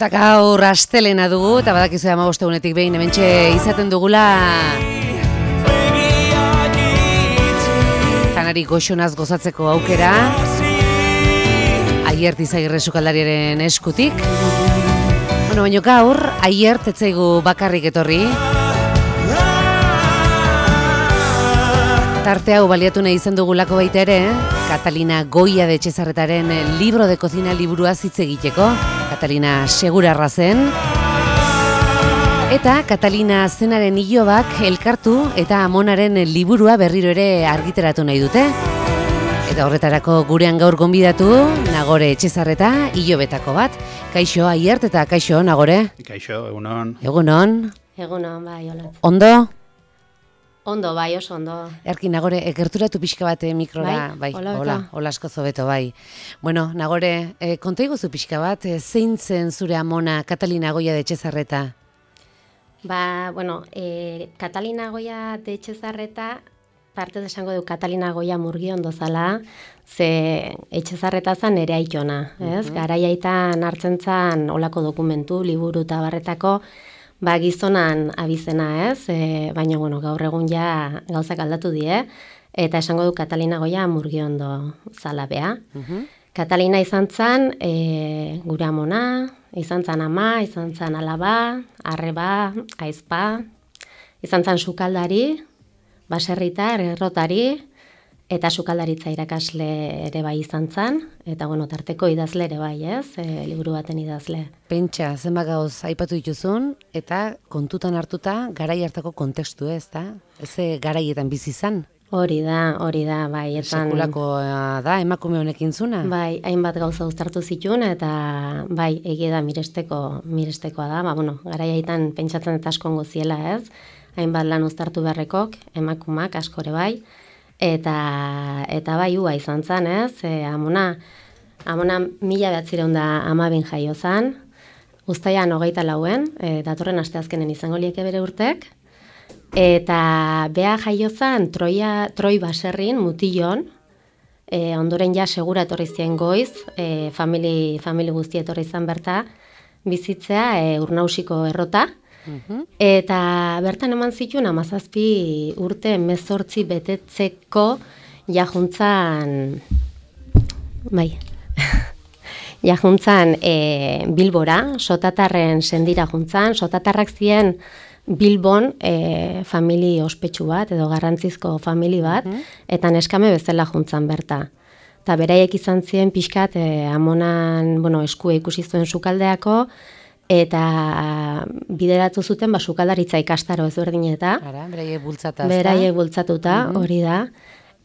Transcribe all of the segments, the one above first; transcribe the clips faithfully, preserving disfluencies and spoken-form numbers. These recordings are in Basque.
Eta gaur astelena dugu, eta badakizu hamabost egunetik behin hementxe izaten dugula janari goxonaz gozatzeko aukera Aiert Izagirre sukaldariaren eskutik. Bueno, baina gaur Aiert ez zaigu bakarrik etorri. Tarte hau baliatu nahi izan dugulako baita ere, Catalina Goya de Etxezarretaren libro de cocina liburua hitz egiteko. Catalina segurarra zen. Eta Catalina zenaren ilobak elkartu eta amonaren liburua berriro ere argitaratu nahi dute. Eta horretarako gurean gaur gonbidatu, Nagore Etxezarreta ilobetako bat. Kaixo Aiert eta kaixo Nagore. Kaixo, egunon. Egunon. Egunon, bai, hola. Ondo? Ondo, bai, oso ondo. Erki, Nagore, egerturatu pixka bat mikrora. Bai, bai hola, hola asko zobeto, bai. Bueno, Nagore, e, konta iguzu pixka bat, e, zein zen zure amona Catalina Goya de Etxezarreta? Ba, bueno, e, Catalina Goya de Etxezarreta, parte esango du Catalina Goya Murgiondo zala, ze Etxezarreta zan ere aitona, ez? Uh-huh. Garaiaitan hartzen zan olako dokumentu, liburu eta barretako, ba, gizonan abizena, ez? E, baina, bueno, gaur egun ja gauzak aldatu die, eta esango du Catalina Goya Murgiondo zala bea. Uh-huh. Catalina izan zan, e, gure amona, izan zan ama, izan zan alaba, arreba, aizpa, izan zan sukaldari, baserritar, errotari, eta sukaldaritza irakasle ere bai izan zan, eta bueno, tarteko idazle ere bai, ez? E, liburu baten idazle. Pentsa, zenbat gauz aipatu dituzun, eta kontutan hartuta garai hartako kontestu, ez da? Ez garaietan bizi izan? Hori da, hori da, bai. Etan, sekulako da, emakume honekin zuna? Bai, hainbat gauza uztartu zituen, eta bai, egia da miresteko, mirestekoa da, ba, bueno, garaiaitan pentsatzen eta asko ongo ziela, ez? Hainbat lan uztartu beharrekok, emakumak askore bai, eta eta bai ua izan zan, ez? E, amona, amona mila behatzireun da amabin jaio zan, uztaian hogeita lauen, e, datorren asteazkenen izango lieke bere urtek, eta bea jaio zan Troia, Troi baserrin, Mutilon, e, ondoren ja segura etorri zien goiz, e, famili, famili guzti etorri zan berta, bizitzea e, Urnausiko errota, uh-huh. Eta bertan eman zituen hamazazpi urte mezortzi betetzeko jajuntzan, bai, jajuntzan e, Bilbora, Sotatarren sendira juntzan, Sotatarrak zien Bilbon e, famili ospetsu bat, edo garrantzizko famili bat, uh-huh. Eta neskame bezala juntzan berta. Eta beraiek izan ziren pixkat e, amonan, bueno, eskue ikusi zuen sukaldeako, eta bideratu zuten ba, sukaldaritza ikastaro ezberdineta. Ara, beraiek bultzata. Beraiek bultzatuta, uh-huh. Hori da.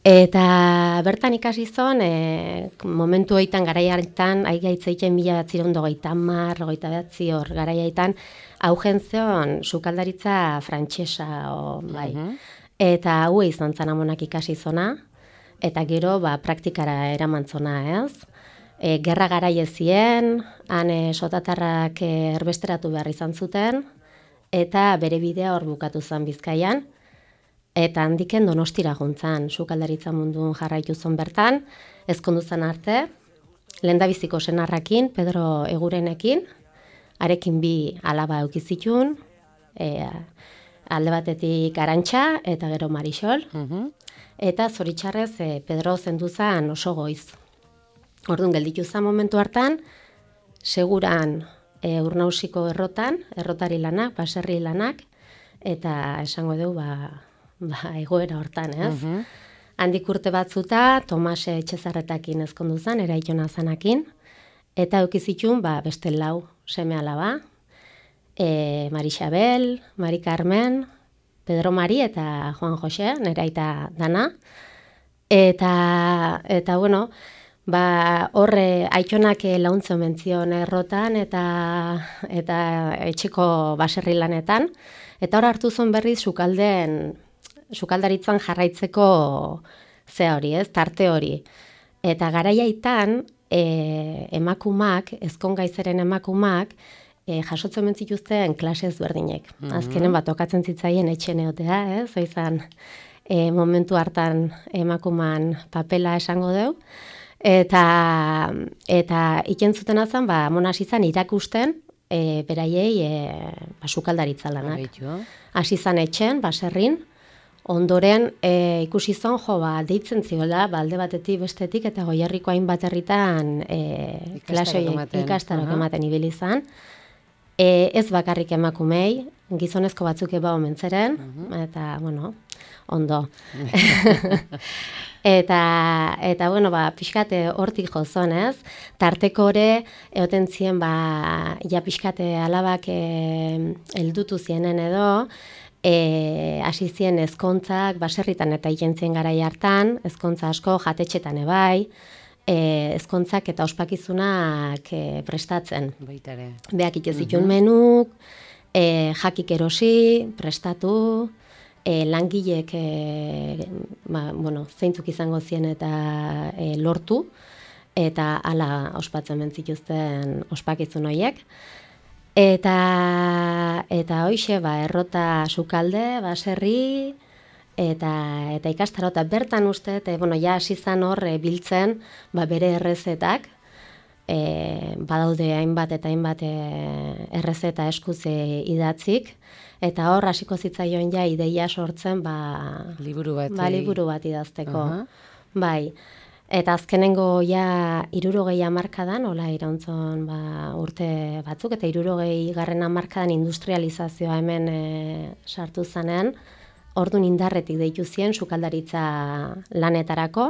Eta bertan ikasi zon, e, momentu hoitan, garaiaitan, aigaitzeiten mila batzireun dogeita mar, goita behatzi hor, garaiaitan, augen zion sukaldaritza frantsesa, o, bai. Uh-huh. Eta hau izan zan amonak ikasi zona, eta gero ba, praktikara eraman zona, ez? E, gerra garaie zien, han e, sotatarrak e, erbesteratu behar izan zuten, eta bere bidea hor bukatu zen Bizkaian, eta handiken Donostira juntzan, sukaldaritza mundun jarraitu zon bertan, ezkondu zen arte, lehendabiziko senarrakin, Pedro Egurenekin, arekin bi alaba eukizitun, e, alde batetik Arantxa eta gero Marisol, uh-huh. Eta zoritxarrez e, Pedro zenduzan oso goiz. Orduan gelditu zen momentu hartan, seguran e, Urnausiko errotan, errotari lanak, baserri lanak, eta esango dugu ba, ba, egoera hortan, ez? Uh-huh. Handik urte batzuta, Tomase Etxezarretakin ezkondu zen, eraitona zanakin, eta eukizitun ba, beste lau seme alaba, e, Mari Xabel, Mari Carmen, Pedro Mari eta Juan Jose, nera aita dana, eta, eta bueno, ba, horre aitonak launtze omentzion errotan eta, eta etxeko baserri lanetan, eta hor hartu zuen berriz sukalden, sukaldaritzan jarraitzeko ze hori, ez, tarte hori. Eta garaiaitan, e, emakumak, ezkongaizeren emakumak, e, jasotzen mentzituzten klase ezberdinek. Mm-hmm. Azkenen bat okatzen zitzaien etxen egotea, ez? Zoizan, e, momentu hartan emakuman papela esango deu. Eta, eta ikentzuten azan, ba, amona hasi zan irakusten, e, beraiei e, ba, sukaldaritza lanak. Hasi zan etxen, baserrin, ondoren e, ikusi zon, jo, ba, deitzen ziola, ba, alde batetik bestetik, eta Goierriko hainbat herritan e, klase ikastarok ematen ibili zan. E, ez bakarrik emakumei, gizonezko batzuk eba omentzeren, uh-huh. eta, bueno, ondo. eta, eta, bueno, ba, pixkate hortik jozon, ez? Tarteko ore, eoten zien, ba, ja pixkate alabak e, eldutu zienen edo, e, hasi zien ezkontzak, baserritan eta ikentzien garai hartan, ezkontza asko jatetxetan ebai, e, ezkontzak eta ospakizunak e, prestatzen. Baitare. Beak itezitun uh-huh. menuk, e, jakik erosi, prestatu, e, langilek e, ba, bueno, zeintzuk izango zien eta e, lortu, eta hala ospatzen mentzituzten ospakizun horiek. Eta, eta hoixe, ba, errota sukalde, baserri, eta, eta ikastarota bertan uste, eta, bueno, ja hasi zan hor e, biltzen, ba, bere errezetak, e, badaude hainbat eta hainbat e, errezeta eskuz e, idatzik, eta hor hasiko zitzaion ja ideia sortzen, ba, liburu bat, ba, liburu bat idazteko. Uh-huh. Bai. Eta azkenengo ja hirurogei hamarkadan, hola irauntzon ba, urte batzuk, eta hirurogei garren hamarkadan industrializazioa hemen e, sartu zanen, ordun indarretik deitu zien sukaldaritza lanetarako,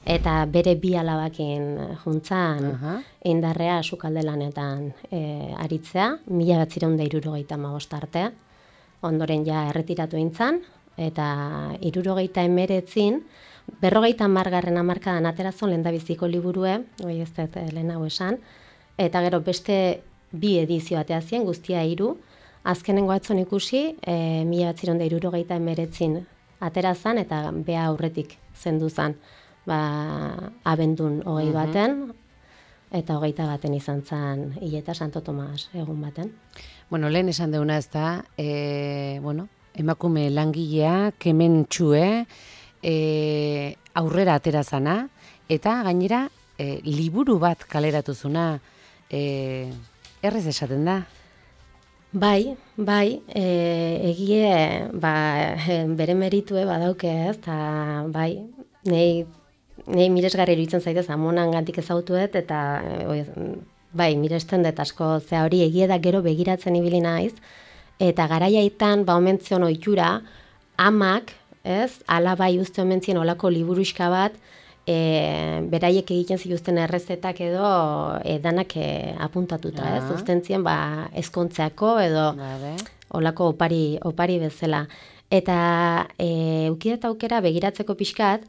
eta bere bi alabakin juntzan uh-huh. indarrea sukalde lanetan e, aritzea, mila batzireun da hirurogeita hamabost arte, ondoren ja erretiratu eintzan, eta hirurogeita hemeretzin, berrogeita hamargarren hamarkadan aterazon lehendabiziko liburue, oi ez dut lehen hau esan, eta gero beste bi edizio atea zien, guztia hiru, azkenengo atzon ikusi, e, mila batzireun da hirurogeita hemeretzin aterazan, eta bea aurretik zendu zan, ba, abendun hogei baten, eta hogeita baten izan zan hileta Santo Tomas egun baten. Bueno, lehen esan deuna ez da, e, bueno, emakume langilea, kementxue, E, aurrera aterazana, eta gainera e, liburu bat kaleratuzuna, e, errez esaten da? Bai, bai, e, egie ba, bere meritue badauke ez, eta bai, nei, nei miresgarri iruditzen zaitez amonan gantik ezautuet, eta e, bai, miresten dut asko, ze hori egie da gero begiratzen ibili naiz, eta garaiaitan, ba, omentzion ohitura, amak, ez, alabai uste omentzien olako liburuxka bat, e, beraiek egiten zituzten errezetak edo e, danak e, apuntatuta, ja. Ez, ustentzien ba, ezkontzeako edo Babe. Olako opari, opari bezala. Eta e, ukidet aukera begiratzeko pixkat,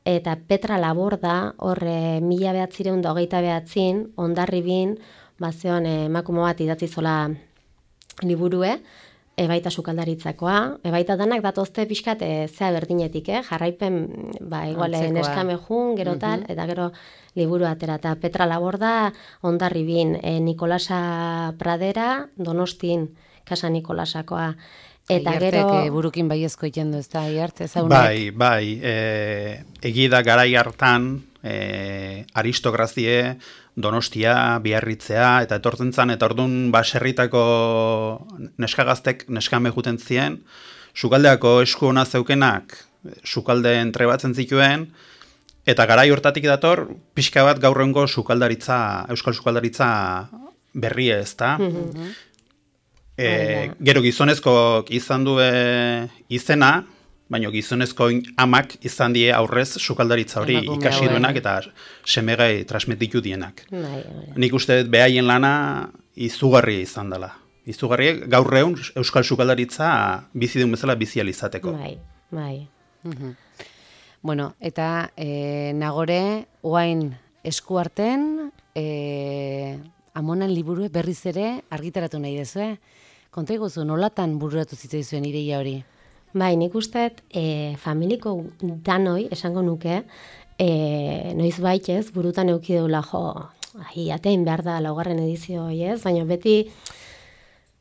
eta Petra Laborda, hor e, mila behatzireun da hogeita behatzin, ondarribin, bazeon e, emakume bat idatzi zola liburue, ebaita sukaldaritzakoa, ebaita danak datozte pixkat e, zea berdinetik, eh? Jarraipen, ba, iguale neskame jun, gero tal, uh-huh. eta gero liburu atera. Eta Petra Laborda, ondarribin, e, Nikolasa Pradera, Donostin, Casa Nikolasakoa. Eta Iartek, gero... E, burukin baiezko ikendu, ez da, Iart, ezaunek? Bai, bai, e, egida garai hartan, e, aristograzie, Donostia, Biarritzea, eta etortzen zan, eta orduan baserritako neskagaztek neskame juten zien, sukaldeako esku ona zeukenak, sukaldeen trebatzen zituen, eta garai hortatik dator, pixka bat gaur egungo sukaldaritza, euskal sukaldaritza berria ez da. Mm-hmm. E, gero gizonezko izan du izena, baina gizonezko amak izan die aurrez sukaldaritza hori Emakume ikasi hauen. Duenak eta semegai transmititu dienak. Bai, bai. Nik uste behaien lana izugarria izan dela. Izugarria gaur egun euskal sukaldaritza bizi duen bezala bizializateko. Bai, bai. Uh-huh. Bueno, eta e, nagore, oain eskuarten, e, amonan liburu berriz ere argitaratu nahi dezue. Konta iguzu, nolatan bururatu zitzaizuen ireia hori? Bai, nik usteet e, familiko danoi, esango nuke, e, noiz baitez, burutan eukideula jo, ahi, atein behar da laugarren edizio, ez? Baina beti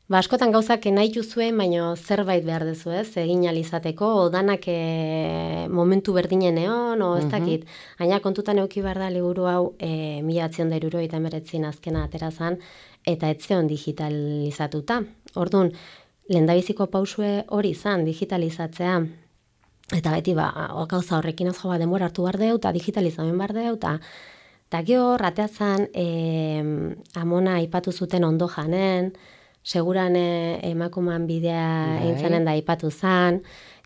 Ba, askotan gauzak nahi juzuen, baina zerbait behar dezu, ez? Egin alizateko, odanak e, momentu berdinen egon, o ez dakit. Baina kontutan euki behar da liburu hau e, mila atzion da iruro eta meretzin azkena aterazan, eta etzeon digitalizatuta. Orduan, lehendabiziko pausue hori izan, digitalizatzea. Eta beti, ba, gauza horrekin ez jo, ba, denbora hartu behar deu, eta digitalizamen behar deu, eta eta gero, rateazan, e, amona aipatu zuten ondo janen, seguran e, emakuman bidea eintzenen da aipatu zan,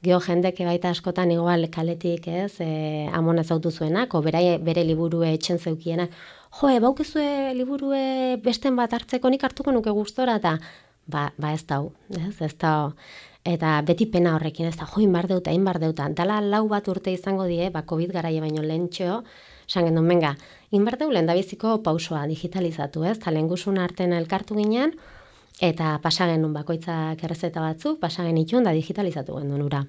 geho jendeke baita askotan igual kaletik, ez, e, amona zautu zuenak, o bere, bere liburue etxen zeukienak, jo, e, baukezue liburue besten bat hartzeko nik hartuko nuke gustora, eta ba, ba ez dau, ez, ez dau, eta beti pena horrekin, ez da, jo, inbar deuta, inbar deuta, dala lau bat urte izango die, ba, COVID garaie baino lehentxeo, esan gendun, benga, inbar deu lehendabiziko pausoa digitalizatu, ez, eta lehengusun arten elkartu ginen, eta pasagen nun bakoitzak errezeta batzuk, pasagen itxun da digitalizatu gendun ura.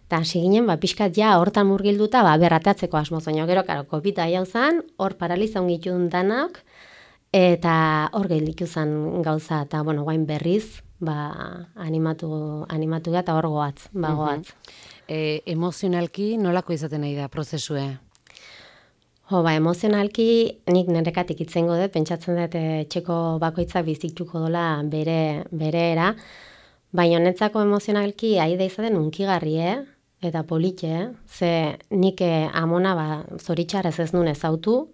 Eta hasi ginen, ba, pixkat ja hortan murgilduta, ba, berrateatzeko asmo zaino, gero, karo, kopita jauzan, hor paralizaun gitun danak, eta hor gehiliku zan gauza, eta, bueno, guain berriz, ba, animatu, animatu eta hor goatz, ba, goatz. E, emozionalki nolako izaten nahi da prozesue? Jo, ba, emozionalki nik nerekatik itzengo dut, pentsatzen dut etxeko bakoitzak bizituko dola bere, bere era, baina netzako emozionalki aida izaten unkigarri, eh? Eta politxe, ze nik amona ba, zoritxarrez ez nun ezautu,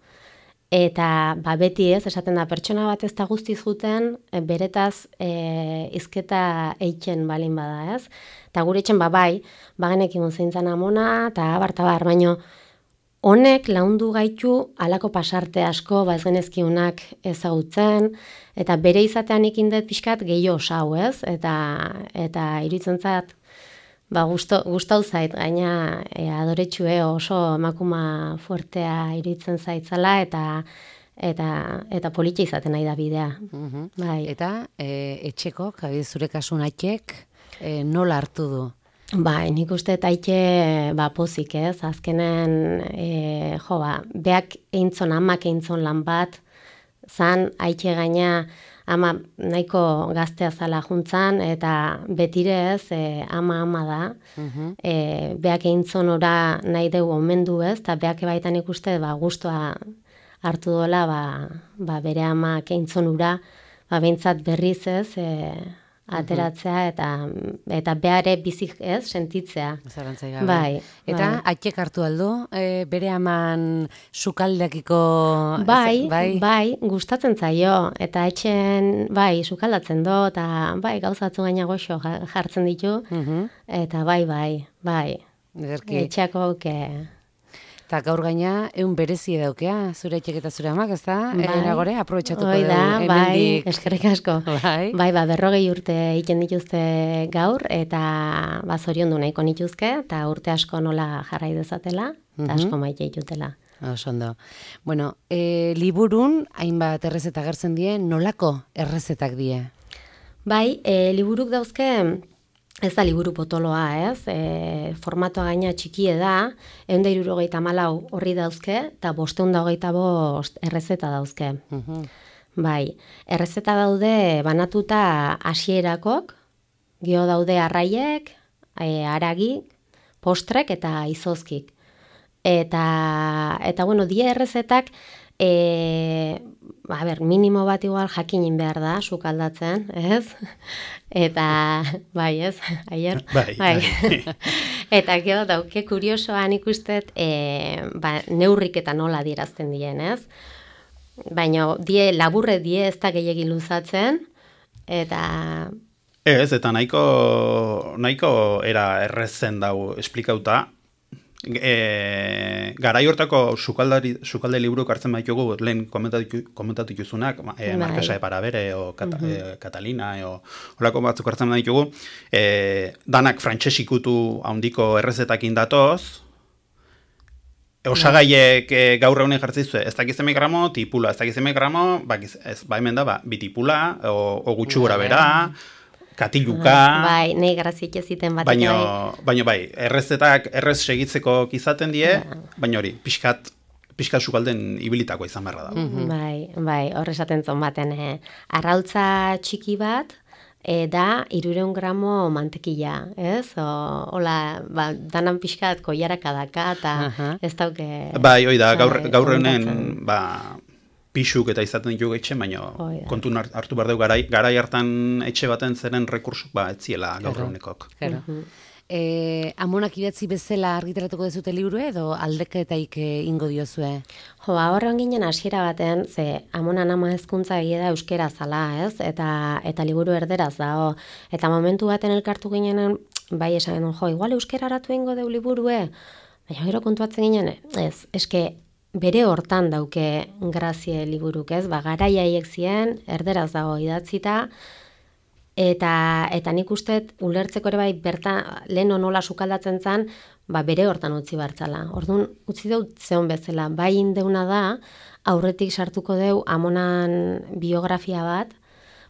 eta ba, beti ez, esaten da, pertsona bat ez da guztiz juten, beretaz e, izketa eitzen balin bada, ez? Eta gure etxen, ba, bai, bagenekin zeintzan amona, eta abar-tabar, baino, honek laundu gaitu alako pasarte asko, ba ez genezkiunak ezagutzen, eta bere izatean ikindet pixkat gehiago osau, ez? Eta, eta iruditzen zait, ba gustau zait, gaina e, adoretxue oso emakuma fuertea iruditzen zaitzala, eta eta eta politxe izaten nahi da bidea. Uh-huh. Bai. Eta e, etxeko, kabi zure kasun aitek, e, nola hartu du? Ba, nik uste taitxe ba, pozik ez, azkenen, e, jo, ba, beak eintzon, amak eintzon lan bat, zan, aitxe gaina, ama nahiko gaztea zala juntzan, eta betire ez, e, ama ama da, uh-huh. e, beak eintzon ora nahi dugu omendu ez, eta beak baitan ikuste, ba, guztua hartu dola, ba, ba, bere amak eintzon ura, ba, behintzat berriz ez, e, ateratzea eta eta beare bizik ez sentitzea. Zarantzai gabe. Bai. Eta bai. aitek hartu aldo, e, bere aman sukaldekiko bai, bai, bai, gustatzen zaio eta etxen bai sukaldatzen do eta bai gauzatzu gaina goxo jartzen ditu. Uh-huh. Eta bai, bai, bai. Ederki. Etxeako ke Eta gaur gaina, egun berezi daukea, zure etxek eta zure amak, ez da? Bai. Nagore, aprobetxatuko dugu. Da, bai, eskerrik asko. Bai. Bai, ba, berrogei urte egiten dituzte gaur, eta ba, zorion du nahiko nituzke, eta urte asko nola jarrai dezatela, eta uh-huh. asko maite ditutela. Osondo. Bueno, e, liburun, hainbat errezeta gertzen die, nolako errezetak die? Bai, e, liburuk dauzke, ez da liburu potoloa, ez? E, formatoa gaina txikie da, ehun eta hirurogeita hamalau horri dauzke, eta bosteun da hogeita bost errezeta dauzke. Uh-huh. Bai, errezeta daude banatuta hasierakok, gero daude arraiek, e, aragik, postrek eta izozkik. Eta, eta bueno, die errezetak, e, a ber, minimo bat igual jakinin behar da, sukaldatzen, ez? Eta, bai, ez? Aier? Bai, bai. Eta gero dauke kuriosoan ikustet, e, ba, neurrik eta nola dierazten dien, ez? Baina, die, laburre die ez da gehiagin luzatzen, eta... Ez, eta nahiko, nahiko era errezen dau esplikauta. E, garai hortako sukalde liburuk hartzen baitugu, lehen komentatu, komentatu ikusunak, e, Markesa de Parabere o Kat, uh-huh. e, Catalina o horako batzuk hartzen baitugu, e, danak frantsesikutu handiko errezetakin datoz, osagaiek e, gaur egunen jartzizue, ez dakiz eme gramo, tipula, ez dakiz eme gramo, bakiz, ez, ba hemen da, ba, bitipula, o, o gutxu gora bera, katiluka... Bai, nahi graziek eziten bat. Baina, baina bai, errezetak errez segitzeko izaten die, ja. Baina hori, pixkat, pixkat sukalden ibilitako izan beharra da. Mm-hmm. Bai, bai, horre esaten zon baten, eh, arrautza txiki bat, e, da hirurehun gramo mantekila, ez? O, hola, ba, danan pixkat koiaraka daka, eta ez dauke... Bai, hoi da, gaur, bai, gaur honen, komentatzen. ba, pixuk eta izaten ditu etxe, baina kontun hartu behar dugu garai, garai hartan etxe baten zeren rekursuk, ba, etziela gaur honekok. Claro. E, amonak idatzi bezala argitaratuko dezute liburu edo aldeketaik ingo diozue? Jo, ba, horre ginen hasiera baten, ze amonan ama hezkuntza egia da euskera zala, ez? Eta, eta liburu erderaz dago. Eta momentu baten elkartu ginen, bai esan genuen, jo, igual euskera aratu ingo deu liburue? Baina gero kontuatzen ginen, ez, eske bere hortan dauke grazie liburuk, ez? Ba, garaia haiek zien, erderaz dago idatzita, Eta, eta nik uste ulertzeko ere bai bertan lehen nola sukaldatzen zen, ba bere hortan utzi bartzala. Orduan utzi dut zeon bezala, bai indeuna da, aurretik sartuko deu amonan biografia bat,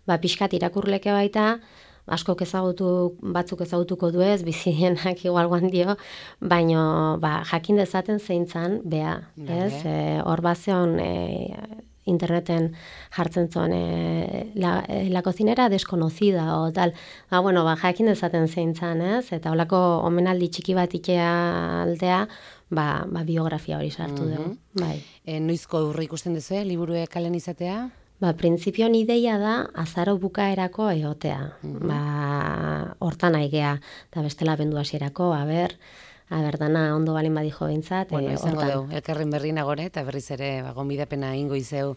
ba pixkat irakurleke baita, askok ezagutu, batzuk ezagutuko du ez, bizienak igual guan dio, baino ba, jakin dezaten zeintzan, bea, ez? Hor e, bazeon... E, interneten jartzen zuen e, la, e, la cocinera desconocida o tal. Ba, bueno, ba, jakin dezaten zeintzan, ez? Eta holako omenaldi txiki bat ikea aldea, ba, ba biografia hori sartu mm-hmm. dugu. Bai. E, noizko aurre ikusten duzu, liburue kalen izatea? Ba, printzipioan ideia da azaro bukaerako egotea. Mm-hmm. Ba, hortan aigea, eta bestela bendu hasierako, a ber... Aber, dana ondo balin badijo bintzat. Bueno, izango dugu, elkarren berri nagore, eta berriz ere, ba, gonbidapena ingo izeu.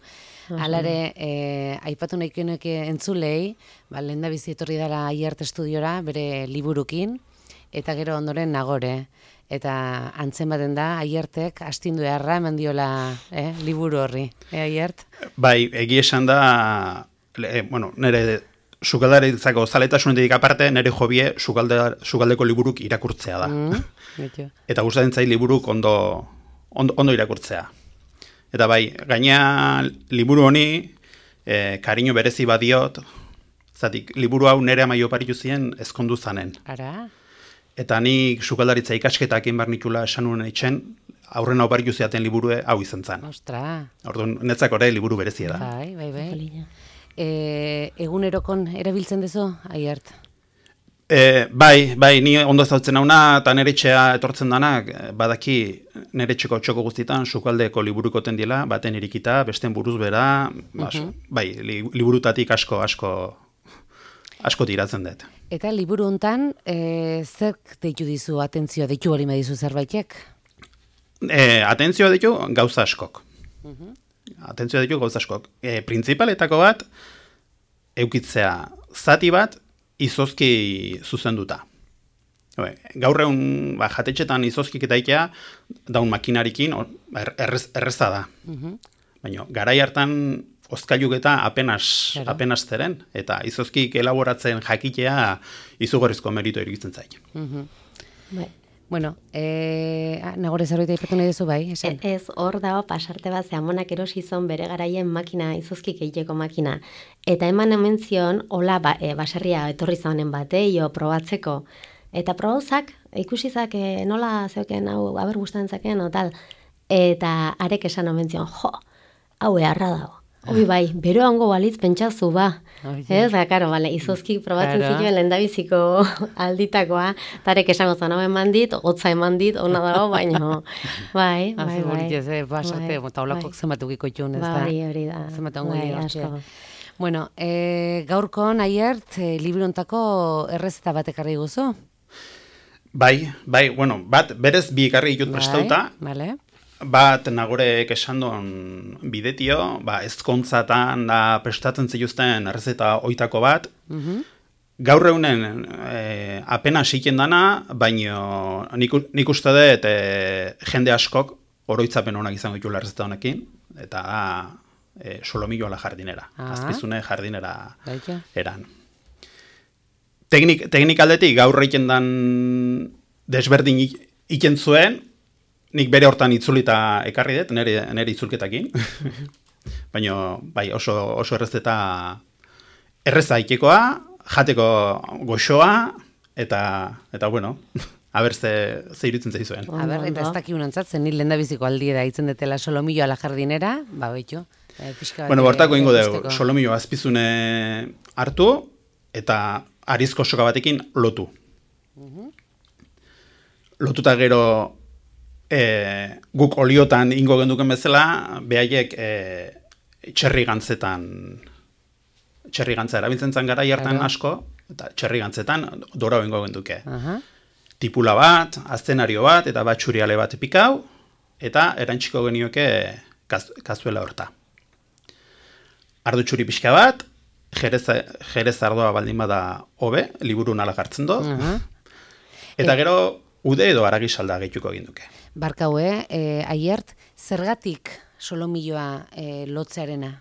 Alare, eh, aipatu nahikoenek entzulei, ba, lehen da bizi etorri dara Aiart estudiora, bere liburukin, eta gero ondoren nagore. Eta antzen baten da, Aiartek astindu eharra eman diola eh, liburu horri. Eh, Aiart? Bai, egi esan da, eh, bueno, nire... Sukaldaritzako zaletasunetik aparte, nire jobie sukalde, sukaldeko liburuk irakurtzea da. Mm, eta gustatzen zait liburuk ondo, ondo, ondo irakurtzea. Eta bai, gaina liburu honi, e, kariño berezi badiot, zatik, liburu hau nire amaio paritu ziren ezkondu zanen. Ara? Eta nik sukaldaritza ikasketak egin behar nikula esan nuen eitzen, aurren hau paritu ziaten liburue hau izan zen. Ostra! Orduan, netzak ore liburu berezia da. Bai, bai, bai. E, egunerokon erabiltzen dezu, Aiart? E, bai, bai, ni ondo ezautzen hauna, eta nire etxea etortzen danak, badaki nire etxeko txoko guztietan sukaldeko liburukoten dela, baten irikita, besten buruz bera, bas, uh-huh. bai, li, liburutatik asko, asko, asko tiratzen dut. Eta liburu hontan, e, zerk deitu dizu atentzioa, deitu hori dizu zerbaitek? E, atentzioa deitu gauza askok. Uh-huh. Atentzioa ditu gauza askok. E, Printzipaletako bat, eukitzea zati bat, izozki zuzenduta. Gaur egun ba, jatetxetan izozkik eta ikea, daun makinarikin errez, erreza da. Uh-huh. Baina, garai hartan ozkailuk eta apenas, apenas zeren, eta izozkik elaboratzen jakitea izugarrizko merito irikitzen zaik. Uh-huh. Bai. Bueno, eh, nagore zerbait aipatu nahi duzu bai, esan? E, ez, hor dago pasarte bat, ze amonak erosi zon bere garaien makina, izozkik egiteko makina. Eta eman hemen zion, hola ba, e, baserria etorri zaunen bate, jo, probatzeko. Eta probauzak, ikusizak e, nola zeuken, hau, haber gustatzen zaken, o tal. Eta arek esan hemen zion, jo, hau eharra dago. Hoi bai, bero hango balitz pentsazu ba. Ez, da, karo, bale, izozkik probatzen claro. Zituen lehendabiziko alditakoa, tarek esango zan, hau eman dit, gotza eman dit, ona dago, baino, bai, bai, bai. Ez, basarte, taulakok zenbatukiko itxun, ez da. Bai, hori da. Zenbatungo bai, bueno, e, gaurkon, Aiart, e, liburontako errezeta bat ekarri guzu? Bai, bai, bueno, bat, berez bi ekarri ditut prestauta. Bale. Bat nagorek esan duen bidetio, ba, ezkontzatan da prestatzen zituzten errezeta oitako bat. Uh-huh. Gaur egunen e, apena siken dana, baino nik, nik uste dut e, jende askok oroitzapen honak izango ditula errezeta honekin, eta da e, solomillo ala jardinera, ah. azpizune jardinera Baita. Eran. Teknik, teknik aldetik gaur egiten dan desberdin iken zuen, nik bere hortan itzulita ekarri dut, nire, nire itzulketakin. Baina, bai, oso, oso errezeta erreza ikekoa, jateko goxoa, eta, eta bueno, haber ze, ze irutzen zaizuen. Haber, eta ez daki unantzatzen, nire lendabiziko aldi da itzen detela solomillo ala jardinera, ba, behitu. Bueno, bortako ingo dugu, solomillo azpizune hartu, eta arizko soka batekin lotu. Lotuta gero e, guk oliotan ingo genduken bezala, behaiek e, txerri gantzetan, txerri gantza erabiltzen zan gara hartan asko, eta txerri gantzetan dorau ingo genduke. Aha. Tipula bat, aztenario bat, eta bat txuriale bat pikau, eta erantxiko genioke kaz, kazuela horta. Ardu txuri pixka bat, jerez, jerez ardoa baldin bada hobe, liburu nala gartzen do, Aha. eta gero ude edo aragi salda gehituko egin duke. Barkaue, eh, Aiert, zergatik solomilloa eh, lotzearena?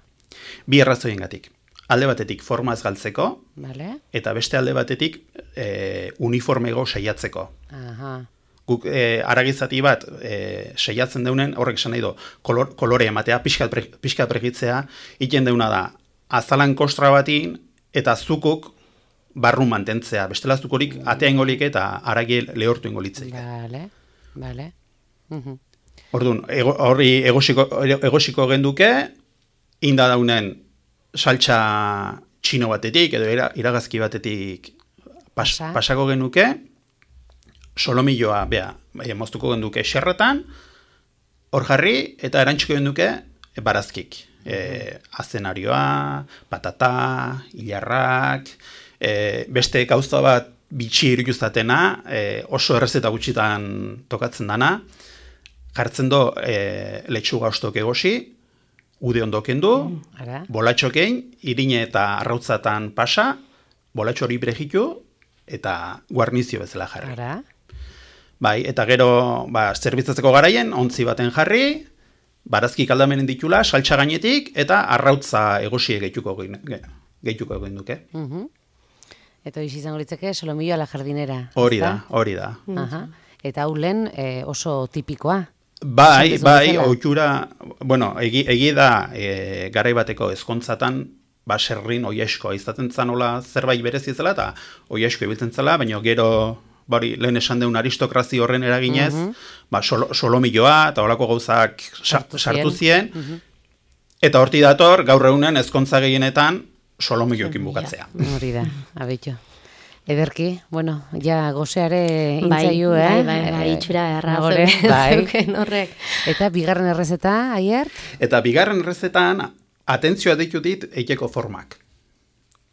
Bi errazoiengatik. Alde batetik forma ez galtzeko, Vale? eta beste alde batetik e, uniformego saiatzeko. Aha. Guk e, aragizati bat e, saiatzen deunen, horrek esan nahi do, kolor, kolore ematea, pixkat, pre, pixkat pregitzea, iten deuna da, azalan kostra batin, eta zukuk barru mantentzea. Bestela zukorik atea ingolik eta aragi lehortu ingolitzeik. Vale, vale. Mhm. Orduan, ego, horri egosiko, egosiko genduke, inda daunen saltsa txino batetik, edo ira, iragazki batetik pas, Pasa. pasako genuke, solomilloa, bea, bai, moztuko genduke xerretan, hor jarri, eta erantxiko genduke barazkik. E, azenarioa, patata, hilarrak, e, beste gauza bat bitxi iruduzatena, e, oso errezeta gutxitan tokatzen dana, jartzen do e, letxuga ostok egosi, ude ondoken du, Ara. bolatxokein, irine eta arrautzatan pasa, bolatxo hori bregitu, eta guarnizio bezala jarri. Ara. Bai, eta gero, ba, zerbitzatzeko garaien, ontzi baten jarri, barazki kaldamenen ditula, saltsa gainetik, eta arrautza egosie gehituko gehituko egin duke. Mhm. Eta hoiz izango litzeke solomillo a la jardinera. Hori ezta? da, hori da. Aha. Eta hau lehen eh, oso tipikoa. Bai, Esan bai, bezala. ohitura, bueno, egi, egi da e, garai bateko ezkontzatan, baserrin oieskoa izaten zanola zerbait berezi zela, eta oiesko ibiltzen zela, baina gero, bari, lehen esan deun aristokrazi horren eraginez, Mhm. ba, solo, solomilloa eta holako gauzak Sartu sartu, sartu zien. zien, Mhm. eta horti dator, gaur egunen ezkontza gehienetan, solomilloekin bukatzea. Hori da, abetxo. Ederki, bueno, ja gozeare Bai, intzaio, eh? bai, bai, bai, Eh, itxura erra nagore, zeuken- bai. zeuken horrek. Eta bigarren errezeta, Aiert? Eta bigarren errezetan, atentzioa ditu dit eiteko formak.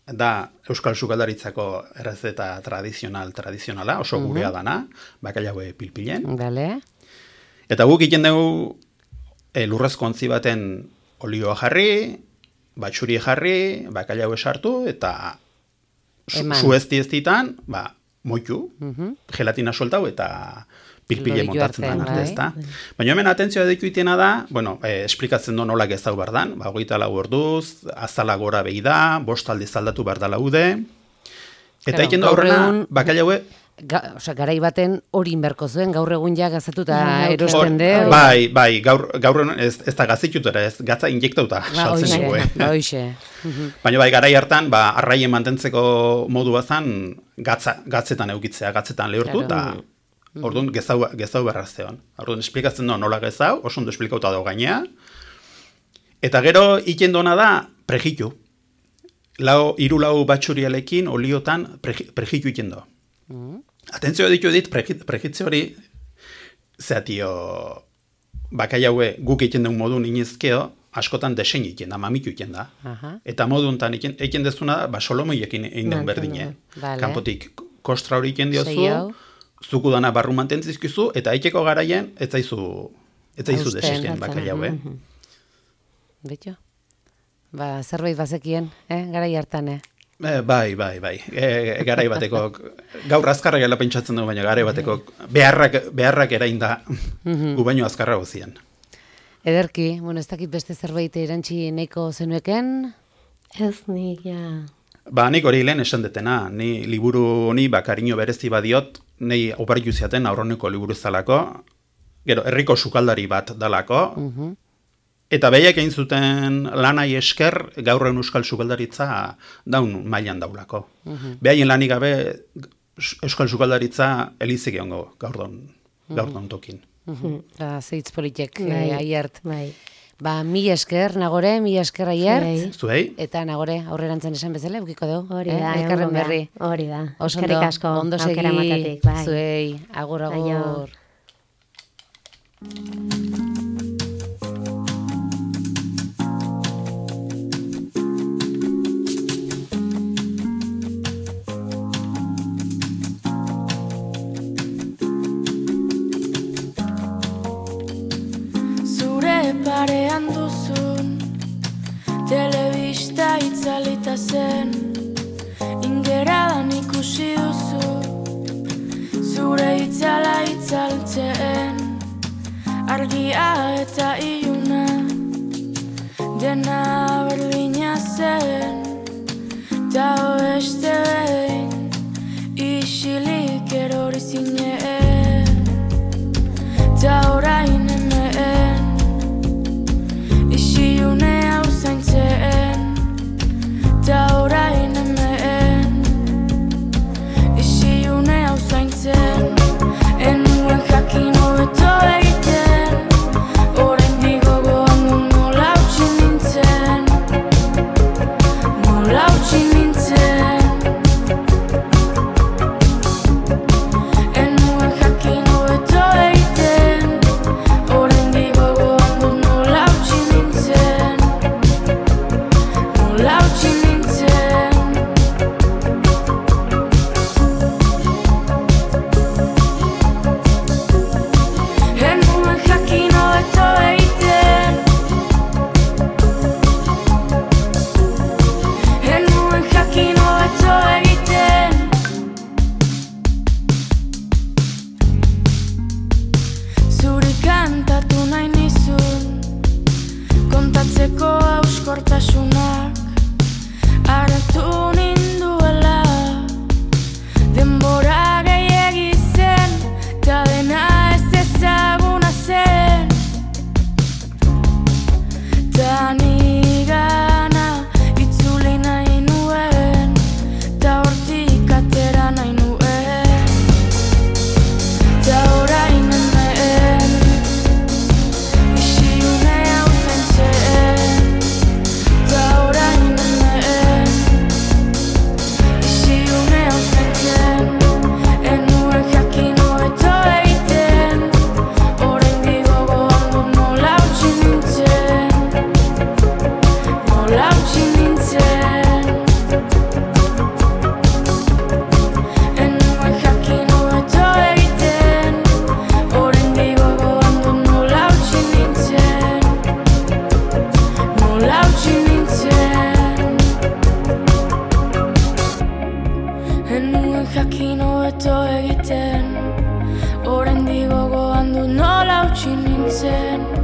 Da Euskal Sukaldaritzako errezeta tradizional, tradizionala, oso gurea dana, bakailaue pilpilen. Bale. Eta guk egiten dugu e, lurrezko ontzi baten olioa jarri, batxuri jarri, bakailaue sartu, eta su, Eman. suezti ez ditan, ba, moitu, Mhm. gelatina soltau eta pilpile Loditu montatzen arte, da arte, bai. ezta. Baina hemen atentzioa ditu itena da, bueno, eh, esplikatzen du nola gezau bardan, ba, hogeita lau orduz, azala gora behi da, bost aldiz aldatu bardala ude, eta Claro, egiten du gaur aurrena, egun- bakailaue, Ga, osea, garai baten hori inberko zuen, gaur egun ja gazatuta Bai, erosten hor- de. hori. bai, bai, gaur, gaur egun ez, ez da gazitutera, ez, gatza injektauta Ba, saltzen hoxe, dugu, eh. ba, hoxe. Mhm. Baina bai, garai hartan, ba, arraien mantentzeko modu bazan, gatza, gatzetan eukitzea, gatzetan lehortu, eta Claro. orduan gezau, gezau berrazteon. Orduan esplikatzen du nola gezau, oso ondo esplikauta dago gainea. Eta gero, iten dona da, prejitu. Lau, iru lau batxurialekin, oliotan, preji- prejitu iten do. Mhm. Atentzio ditu dit, preji- prejitze hori, zeatio, bakaiaue guk egiten duen modun inizkeo, askotan desein egiten da, mamitu egiten da. Aha. Eta modu honetan egiten egiten dezuna da, ba, solomoiekin egin duen Mantendu. berdine. Vale. Kanpotik kostra hori egiten Sei diozu, hau. zuku dana barru mantentzizkizu, eta eiteko garaien, ez zaizu, ez zaizu Hausten, desesten Batzana, bakaiaue. mhm. Betxo? Ba, zerbait bazekien, eh? Garai hartan, eh? E, bai, bai, bai. E, garai bateko, gaur azkarra gela pentsatzen dugu, baina garai bateko beharrak, beharrak erain da, gu baino azkarra gozien. Ederki, bueno, ez dakit beste zerbait erantzi nahiko zenueken, Ez nik, ja. Ba, nik hori lehen esan detena, ni liburu honi bakariño berezi badiot, nei oparitu ziaten aurroneko liburu zalako, gero, herriko sukaldari bat dalako, Mhm. eta behiak egin zuten lanai esker gaurren euskal sukaldaritza daun mailan daulako. Behaien lanik gabe euskal sukaldaritza elizik egongo gaur daun, gaur daun tokin. Mhm. Ba, zeitz politek, Bai. eh, Aiert. Bai. Ba, mi esker, Nagore, mi esker aiert. Zuei. Eta Nagore, aurrerantzen esan bezala, eukiko dugu. Hori da, eh? Elkarren berri. Hori da. Eskerrik asko, ondo segi, aukera matatik, bai. Zuei, agur, agur. Parean duzun telebista itzalita zen, ingeradan ikusi duzu zure itzala itzaltzen, argia eta iluna dena berdina zen, ta beste behin isilik erori zinen, ta orain hemen Iune hau zaintzen, ta orain hemen. Iune hau zaintzen, enuen jakin hobeto egiten, oraindik gogoan du nola utzi nintzen, nola utzi nintzen. Enuen jakin hobeto egiten, oraindik gogoan du nola utzi nintzen. Lautsi nintzen. Enuen jakin hobeto egiten, enuen jakin hobeto egiten. Zuri kantatu nahi nizun, kontatzeko hauskortasunak hartu ninduela, denbora gehiegi zen, ta dena ez ezaguna zen, ta nigana itzuli nahi nuen, ta hortik atera nahi nuen, ta orain hemen, isiune hau zaintzen, ta orain hemen. Isiune hau zaintzen, enuen jakin hobeto egiten, oraindik gogoan dut nola utzi nintzen, nola utzi nintzen. Enuen jakin hobeto egiten, oraindik gogoan dut nola utzi nintzen, nola utzi nintzen. Enuen jakin hobeto egiten, oraindik gogoan dut nola utzi nintzen.